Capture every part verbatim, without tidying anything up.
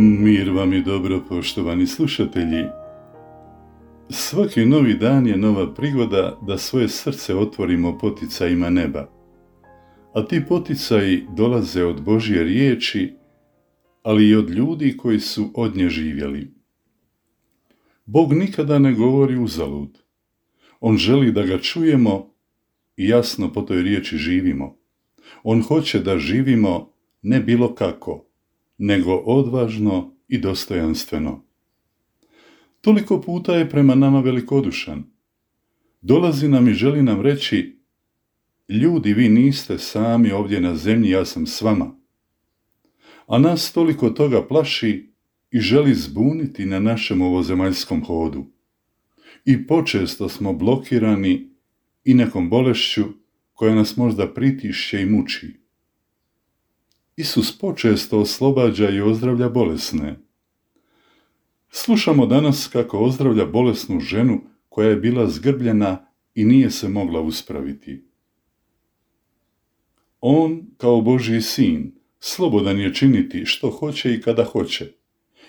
Mir vam i dobro, poštovani slušatelji. Svaki novi dan je nova prigoda da svoje srce otvorimo poticajima neba. A ti poticaji dolaze od Božje riječi, ali i od ljudi koji su od nje živjeli. Bog nikada ne govori uzalud. On želi da ga čujemo i jasno po toj riječi živimo. On hoće da živimo ne bilo kako, nego odvažno i dostojanstveno. Toliko puta je prema nama velikodušan. Dolazi nam i želi nam reći: ljudi, vi niste sami ovdje na zemlji, ja sam s vama. A nas toliko toga plaši i želi zbuniti na našem ovozemaljskom hodu. I počesto smo blokirani i nekom bolešću koja nas možda pritišće i muči. Isus počesto oslobađa i ozdravlja bolesne. Slušamo danas kako ozdravlja bolesnu ženu koja je bila zgrbljena i nije se mogla uspraviti. On, kao Božji sin, slobodan je činiti što hoće i kada hoće,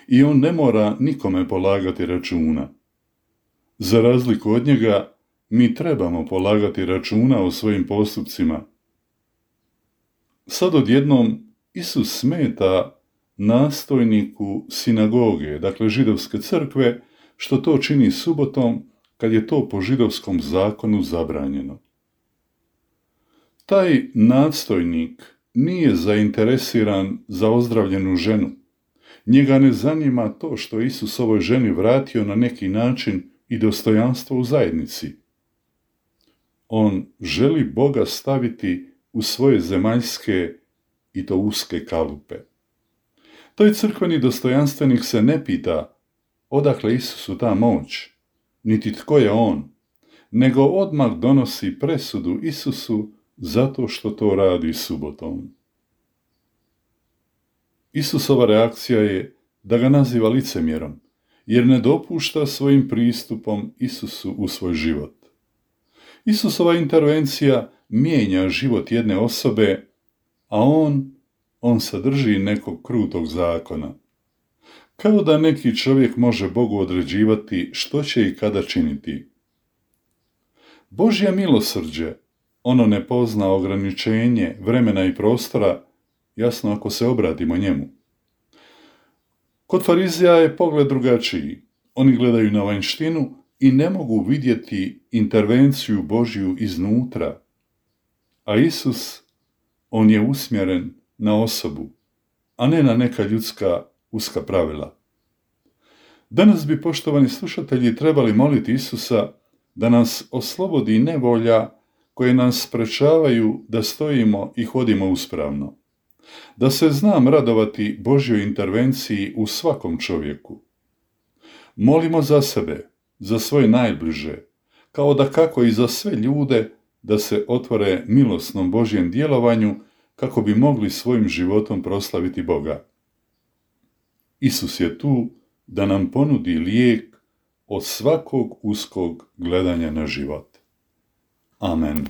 i on ne mora nikome polagati računa. Za razliku od njega, mi trebamo polagati računa o svojim postupcima. Sad odjednom Isus smeta nastojniku sinagoge, dakle židovske crkve, što to čini subotom, kad je to po židovskom zakonu zabranjeno. Taj nadstojnik nije zainteresiran za ozdravljenu ženu. Njega ne zanima to što Isus ovoj ženi vratio na neki način i dostojanstvo u zajednici. On želi Boga staviti u svoje zemaljske i to uske kalupe. Toj crkveni dostojanstvenik se ne pita odakle Isusu ta moć, niti tko je on, nego odmah donosi presudu Isusu zato što to radi subotom. Isusova reakcija je da ga naziva licemjerom, jer ne dopušta svojim pristupom Isusu u svoj život. Isusova intervencija mijenja život jedne osobe, a on, on sadrži nekog krutog zakona. Kao da neki čovjek može Bogu određivati što će i kada činiti. Božje milosrđe, ono ne pozna ograničenje vremena i prostora, jasno ako se obratimo njemu. Kod Farizija je pogled drugačiji. Oni gledaju na vanjštinu i ne mogu vidjeti intervenciju Božju iznutra. A Isus, on je usmjeren na osobu, a ne na neka ljudska uska pravila. Danas bi, poštovani slušatelji, trebali moliti Isusa da nas oslobodi nevolja koje nas sprečavaju da stojimo i hodimo uspravno. Da se znam radovati Božjoj intervenciji u svakom čovjeku. Molimo za sebe, za svoje najbliže, kao da kako i za sve ljude, da se otvore milosnom Božjem djelovanju kako bi mogli svojim životom proslaviti Boga. Isus je tu da nam ponudi lijek od svakog uskog gledanja na život. Amen.